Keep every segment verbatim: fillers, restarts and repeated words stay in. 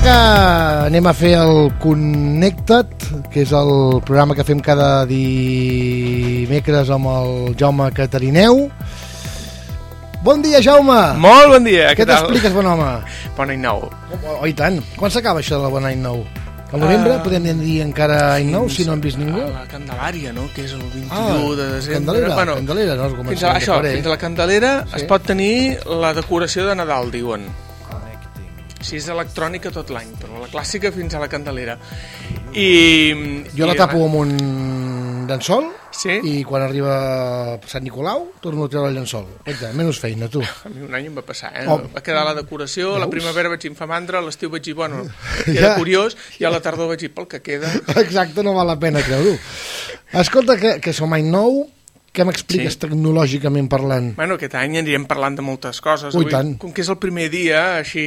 que anem a fer el Connecta't, que és el programa que fem cada dimecres amb el Jaume Catarineu. Bon dia, Jaume! Molt bon dia, què, què tal? T'expliques, bon home? Bon any nou. Oh, oh, i tant. Quan s'acaba això de la bon any nou? Al novembre uh, podem dir encara any nou, si no hem vist ningú? A la Candelària, no?, que és el vint-i-u de desembre. Candelera, bueno, Candelera, no? Fins a, això, fins a la Candelera sí. Es pot tenir la decoració de Nadal, diuen. Si és electrònica tot l'any, però la clàssica fins a la Candelera. I, jo i la tapo amb un llençol sí? I quan arriba Sant Nicolau torno a treure el llençol. Oita, menys feina, tu. A mi un any em va passar, eh? Oh. Va quedar la decoració, veus? La primavera vaig infar mandra, l'estiu vaig dir, bueno, queda ja. Curiós, i a la tardor vaig dir, pel que queda... Exacte, no val la pena treure-ho. Escolta, que, que som any nou, què m'expliques sí. Tecnològicament parlant? Bueno, aquest any anirem parlant de moltes coses. Ui, tant. Com que és el primer dia, així...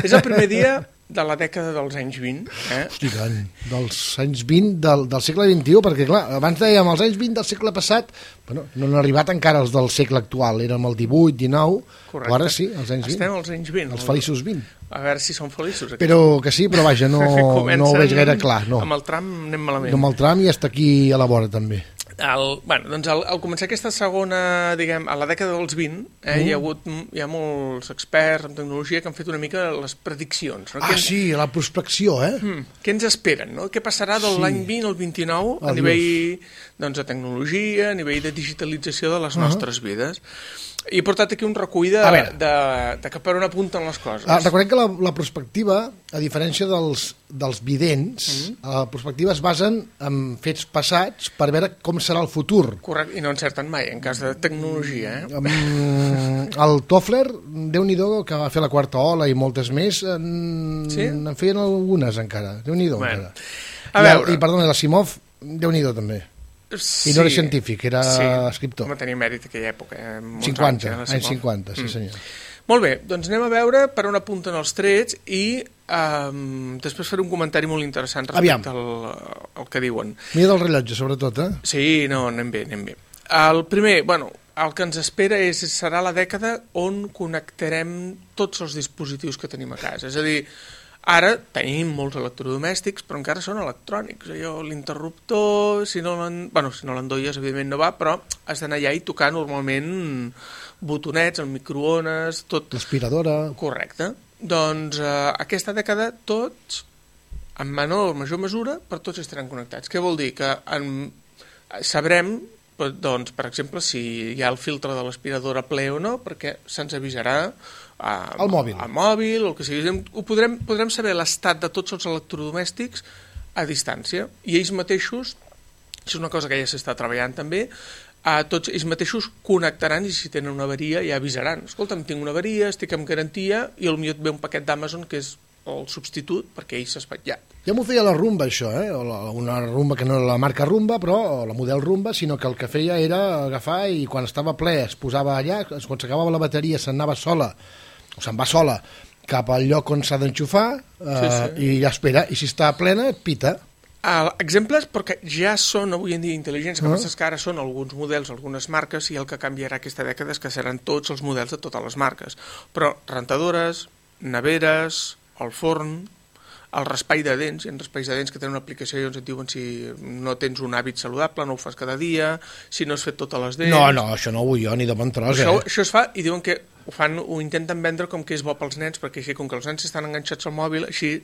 és el primer dia de la dècada dels anys vint. Eh? Hosti, tant. Dels anys vint del, del segle vint-i-u, perquè, clar, abans dèiem els anys vint del segle passat, bueno, no han arribat encara els del segle actual, érem el divuit, dinou, correcte. Ara sí, els anys vint. Estem als anys vint. Els feliços vint. A veure si són feliços. Aquí. Però que sí, però vaja, no, no ho veig gaire clar. No. Amb el tram anem malament. No, amb el tram i està aquí a la vora, també. El, bueno, doncs al, al començar aquesta segona, diguem, a la dècada dels vint, eh, mm. hi ha hagut hi ha molts experts en tecnologia que han fet una mica les prediccions. No? Ah, ens, sí, la prospecció, eh? Hmm, què ens esperen, no? Què passarà de sí. L'any vint al vint-i-nou a nivell doncs, de tecnologia, a nivell de digitalització de les uh -huh. nostres vides? I he portat aquí un recull de, de, de cap per on apunten les coses. Ah, recordem que la, la prospectiva, a diferència dels, dels vidents, mm-hmm. la prospectiva es basen en fets passats per veure com serà el futur. Correcte, i no encerten mai, en cas de tecnologia. Eh? Um, el Toffler, Déu-n'hi-do, que va fer la quarta ola i moltes més, en, sí? en feien algunes encara. Déu-n'hi-do, bueno, encara. A veure... I, I, perdona, l'Asimov, Déu-n'hi-do, també. Sí, I no era científic, era sí, escriptor. Com tenia mèrit aquella època. Eh? cinquanta, anys, anys cinquanta, sí mm. senyor. Molt bé, doncs anem a veure per on apunten els trets i um, després faré un comentari molt interessant respecte al, al que diuen. Mira del rellotge, sobretot, eh? Sí, no, anem bé, anem bé. El primer, bueno, el que ens espera és, serà la dècada on connectarem tots els dispositius que tenim a casa. És a dir, ara tenim molts electrodomèstics, però encara són electrònics. Allò, l'interruptor, si no l'en... Bueno, si no l'endolles, evidentment no va, però has d'anar allà i tocar normalment botonets, el microones, tot... L'aspiradora... Correcte. Doncs eh, aquesta dècada tots, en menor o major mesura, per tots estaran connectats. Què vol dir? Que en... sabrem, doncs, per exemple, si hi ha el filtre de l'aspiradora ple o no, perquè se'ns avisarà a, al mòbil, al mòbil o el que sigui. Ho podrem, podrem saber l'estat de tots els electrodomèstics a distància i ells mateixos, això és una cosa que ja s'està treballant també, a tots ells mateixos connectaran i si tenen una avaria ja avisaran. Escolta'm, tinc una avaria, estic amb garantia i potser et ve un paquet d'Amazon que és el substitut perquè ell s'ha espatllat. Ja m'ho feia la Rumba, això, eh? Una Rumba que no era la marca Rumba, però la model Rumba, sinó que el que feia era agafar i quan estava ple es posava allà, quan s'acabava la bateria se'n anava sola, o se'n va sola, cap al lloc on s'ha d'enxufar eh, sí, sí. I ja espera, i si està plena et pita. Uh, exemples, perquè ja són avui en dia intel·ligents, que uh -huh. que ara són alguns models, algunes marques, i el que canviarà aquesta dècada és que seran tots els models de totes les marques. Però rentadores, neveres, el forn, el raspall de dents, hi ha raspalls de dents que tenen una aplicació i ens et diuen si no tens un hàbit saludable, no ho fas cada dia, si no has fet totes les dents... No, no, això no ho vull jo, ni de bon tros, això, eh? Això es fa i diuen que ho fan, ho intenten vendre com que és bo pels nens, perquè així, com que els nens estan enganxats al mòbil, així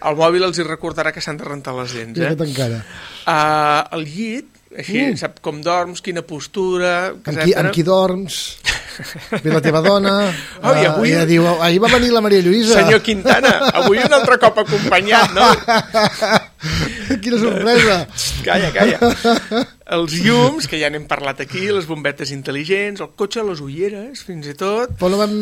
el mòbil els hi recordarà que s'han de rentar les dents, eh? encara. Uh, el llit, així, mm. sap com dorms, quina postura... Amb qui, amb qui dorms... Ve la teva dona, oh, i avui... uh, diu, ahir va venir la Maria Lluïsa. Senyor Quintana, avui un altre cop acompanyat, no? Quina sorpresa. Calla, calla. Els llums, que ja n'hem parlat aquí, les bombetes intel·ligents, el cotxe, les ulleres, fins i tot. Però no vam,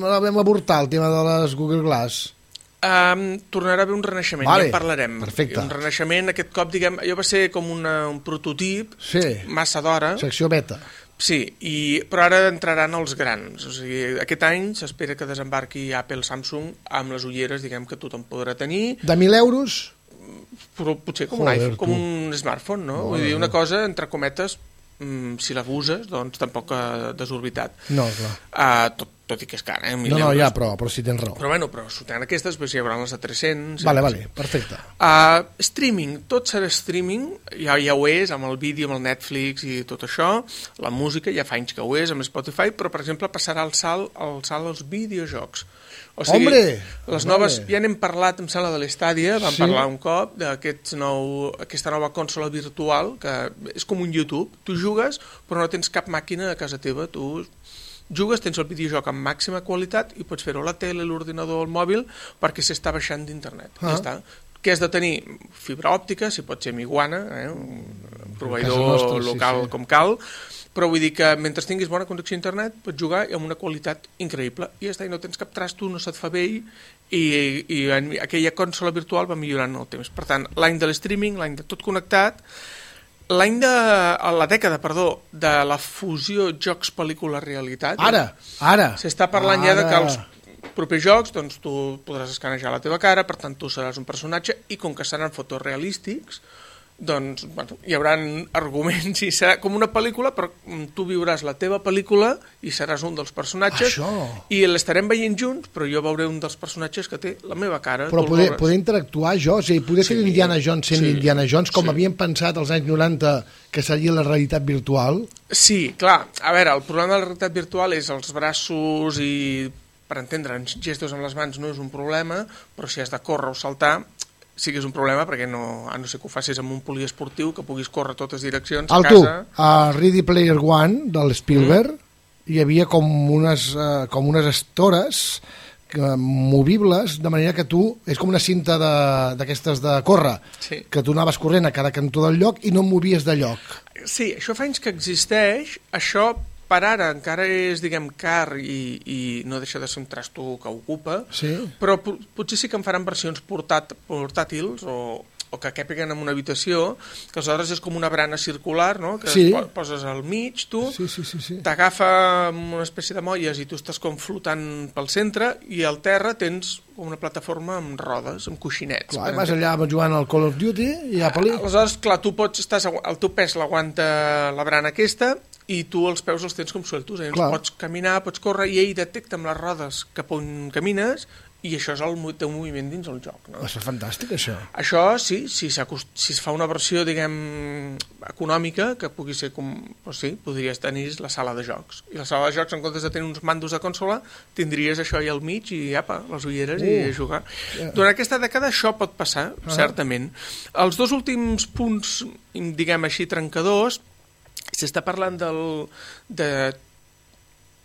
no vam avortar el tema de les Google Glass. Um, tornarà a haver un renaixement, vale, ja en parlarem. Perfecte. Un renaixement, aquest cop, diguem, allò va ser com una, un prototip, sí. massa d'hora. Secció beta. Sí, i, però ara entraran els grans. O sigui, aquest any s'espera que desembarqui Apple, Samsung, amb les ulleres, diguem, que tothom podrà tenir. De mil euros? Però potser com, Joder, un iPhone, com tu. un smartphone, no? no Vull dir, no. una cosa, entre cometes, mm, si la uses, doncs tampoc ha desorbitat. No, clar. Uh, tot, tot i que és car, eh? No, no, ja, però, però si tens raó. Però bueno, però sortint aquestes, doncs hi haurà les de tres-cents... Vale, vale, perfecte. Uh, streaming, tot serà streaming, ja, ja ho és, amb el vídeo, amb el Netflix i tot això, la música ja fa anys que ho és, amb Spotify, però, per exemple, passarà el salt, el salt als videojocs. O sigui, Hombre! Les noves, vale. Ja n'hem parlat, em sembla, de l'Stadia, vam sí. parlar un cop d'aquesta nou, nova consola virtual, que és com un YouTube. Tu jugues, però no tens cap màquina a casa teva. Tu jugues, tens el videojoc amb màxima qualitat i pots fer-ho a la tele, l'ordinador o el mòbil perquè s'està baixant d'internet. Ah. Ja està. Què has de tenir? Fibra òptica, si pot ser Miguana, eh? un proveïdor nostra, local sí, sí. com cal, però vull dir que mentre tinguis bona connexió a internet pots jugar amb una qualitat increïble i ja està, i no tens cap trasto, no se't fa vell i, i en, aquella consola virtual va millorant el temps. Per tant, l'any de l'streaming, l'any de tot connectat, l'any de la dècada, perdó, de la fusió jocs-pel·lícula-realitat. Ara, ara. S'està parlant ara. Ja de que els propers jocs, doncs tu podràs escanejar la teva cara, per tant tu seràs un personatge i com que seran fotorealístics, doncs bueno, hi haurà arguments i serà com una pel·lícula, però tu viuràs la teva pel·lícula i seràs un dels personatges. Això. I l'estarem veient junts, però jo veuré un dels personatges que té la meva cara. Però poder, poder interactuar jo, o sigui, poder sí, ser Indiana Jones sent sí, Indiana Jones, com sí. havíem pensat als anys noranta que seria la realitat virtual. Sí, clar, a veure, el problema de la realitat virtual és els braços i, per entendre'ns, gestos amb les mans no és un problema, però si has de córrer o saltar sí que és un problema, perquè no, a no ser que ho facis amb un poliesportiu, que puguis córrer totes direccions a Alto, casa... a Ready Player One, de l'Spielberg, mm. hi havia com unes, uh, com unes estores que, movibles, de manera que tu... És com una cinta d'aquestes de, de córrer, sí. que tu anaves corrent a cada cantó del lloc i no et movies de lloc. Sí, això fa anys que existeix, això... Per ara encara és, diguem, car i, i no deixa de ser un trasto que ocupa, sí. però potser sí que en faran versions portàt, portàtils o, o que quèpiguen en una habitació, que aleshores és com una brana circular, no? Que sí. poses al mig, tu, sí, sí, sí, sí. t'agafa amb una espècie de molles i tu estàs com flotant pel centre i al terra tens una plataforma amb rodes, amb coixinets. Clar, vas allà jugant al Call of Duty i a pel·li. Aleshores, clar, tu pots, estàs, el teu pes l'aguanta la brana aquesta i tu els peus els tens com sueltos, eh? Pots caminar, pots córrer i ell detecta amb les rodes cap on camines i això és el teu moviment dins el joc. No? Això és fantàstic, això. Això, sí, si, si es fa una versió, diguem, econòmica, que pugui ser com... Pues sí, podries tenir la sala de jocs. I la sala de jocs, en comptes de tenir uns mandos de consola, tindries això allà al mig i, apa, les ulleres uh, i a jugar. Yeah. Durant aquesta dècada això pot passar, uh -huh. certament. Els dos últims punts, diguem així, trencadors, s'està parlant del, de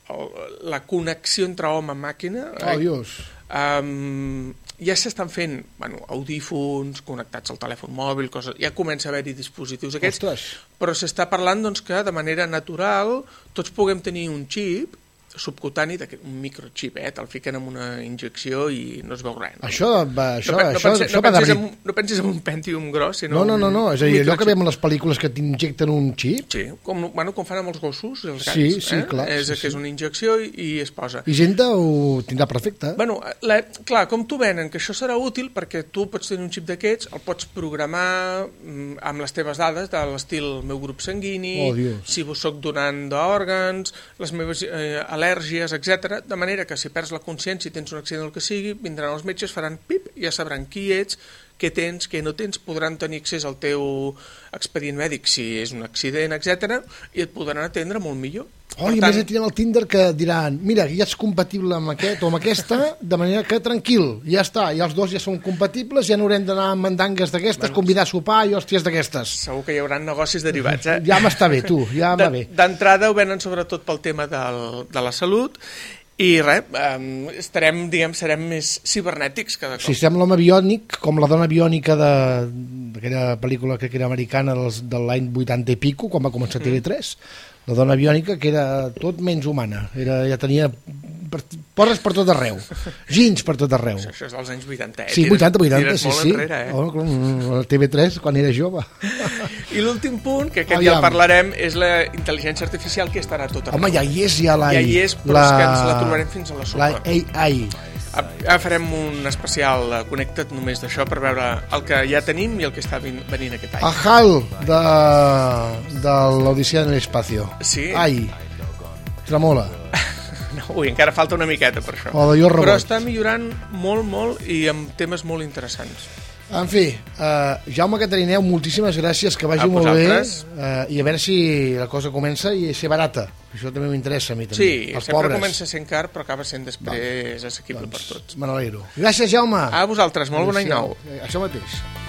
el, la connexió entre home i màquina. Oh, Dios. Um, ja s'estan fent bueno, audífons connectats al telèfon mòbil, coses, ja comença a haver-hi dispositius aquests. Ostres. Però s'està parlant doncs, que de manera natural tots puguem tenir un xip subcutani, un microxip, eh? Te'l fiquen amb una injecció i no es veu res. No? Això va, això, no, no, això, pensis, això no, va pensis de en, no pensis en un Pentium gros, sinó... No, no, no, no. és a dir, allò que veiem en les pel·lícules que t'injecten un xip... Sí, com, bueno, com fan amb els gossos i els gats. Sí, sí, eh? clar. És sí, que sí. és una injecció i, i es posa. I gent ho tindrà perfecte. Bueno, la, clar, com t'ho venen, que això serà útil perquè tu pots tenir un xip d'aquests, el pots programar mm, amb les teves dades, de l'estil meu grup sanguini, oh, si vos soc donant d'òrgans, les meves eh, al·lèrgies, etcètera, de manera que si perds la consciència i tens un accident o el que sigui, vindran els metges, faran pip, ja sabran qui ets, què tens, què no tens, podran tenir accés al teu expedient mèdic si és un accident, etcètera, i et podran atendre molt millor. Oh, I a més et tindran el Tinder que diran mira, ja ets compatible amb aquest o amb aquesta, de manera que tranquil, ja està, i els dos ja són compatibles, ja no haurem d'anar amb mandangues d'aquestes, bueno, convidar a sopar i hòsties d'aquestes. Segur que hi haurà negocis derivats, eh? Ja m'està bé, tu, ja va bé. D'entrada ho venen sobretot pel tema del, de la salut. I res, um, estarem, diguem, serem més cibernètics cada cop. Si estem l'home biònic, com la dona biònica d'aquella pel·lícula que era americana dels, de l'any vuitanta i pico, quan va començar T V tres, mm. la dona biònica que era tot menys humana, era, ja tenia per, porres per tot arreu, gins per tot arreu. Això, això és dels anys vuitanta, eh? Sí, vuitanta, vuitanta, sí, sí. Enrere, eh? Oh, el T V tres, quan era jove. I l'últim punt, que aquest Aviam. ja el parlarem, és la intel·ligència artificial, que estarà tot arreu. Home, ja hi és, ja la... Ja hi és, però la... és que ens la trobarem fins a la sopa. La A I. Ara farem un especial Connected només d'això per veure el que ja tenim i el que està venint aquest any. A HAL de, de l'Odissea en l'espacio. Sí. Ai, tremola. No, ui, encara falta una miqueta per això. O de jo Però rebot. està millorant molt, molt i amb temes molt interessants. En fi, uh, Jaume Catarineu, moltíssimes gràcies, que vagi A molt bé, vosaltres. uh, i a veure si la cosa comença i ser barata. Això també m'interessa a mi, també. Sí, Els sempre pobres. comença sent car, però acaba sent després assequible per tots. Me n'alegro. Gràcies, Jaume. A vosaltres, molt bon any Adéu-siau. nou. Eh, Això mateix.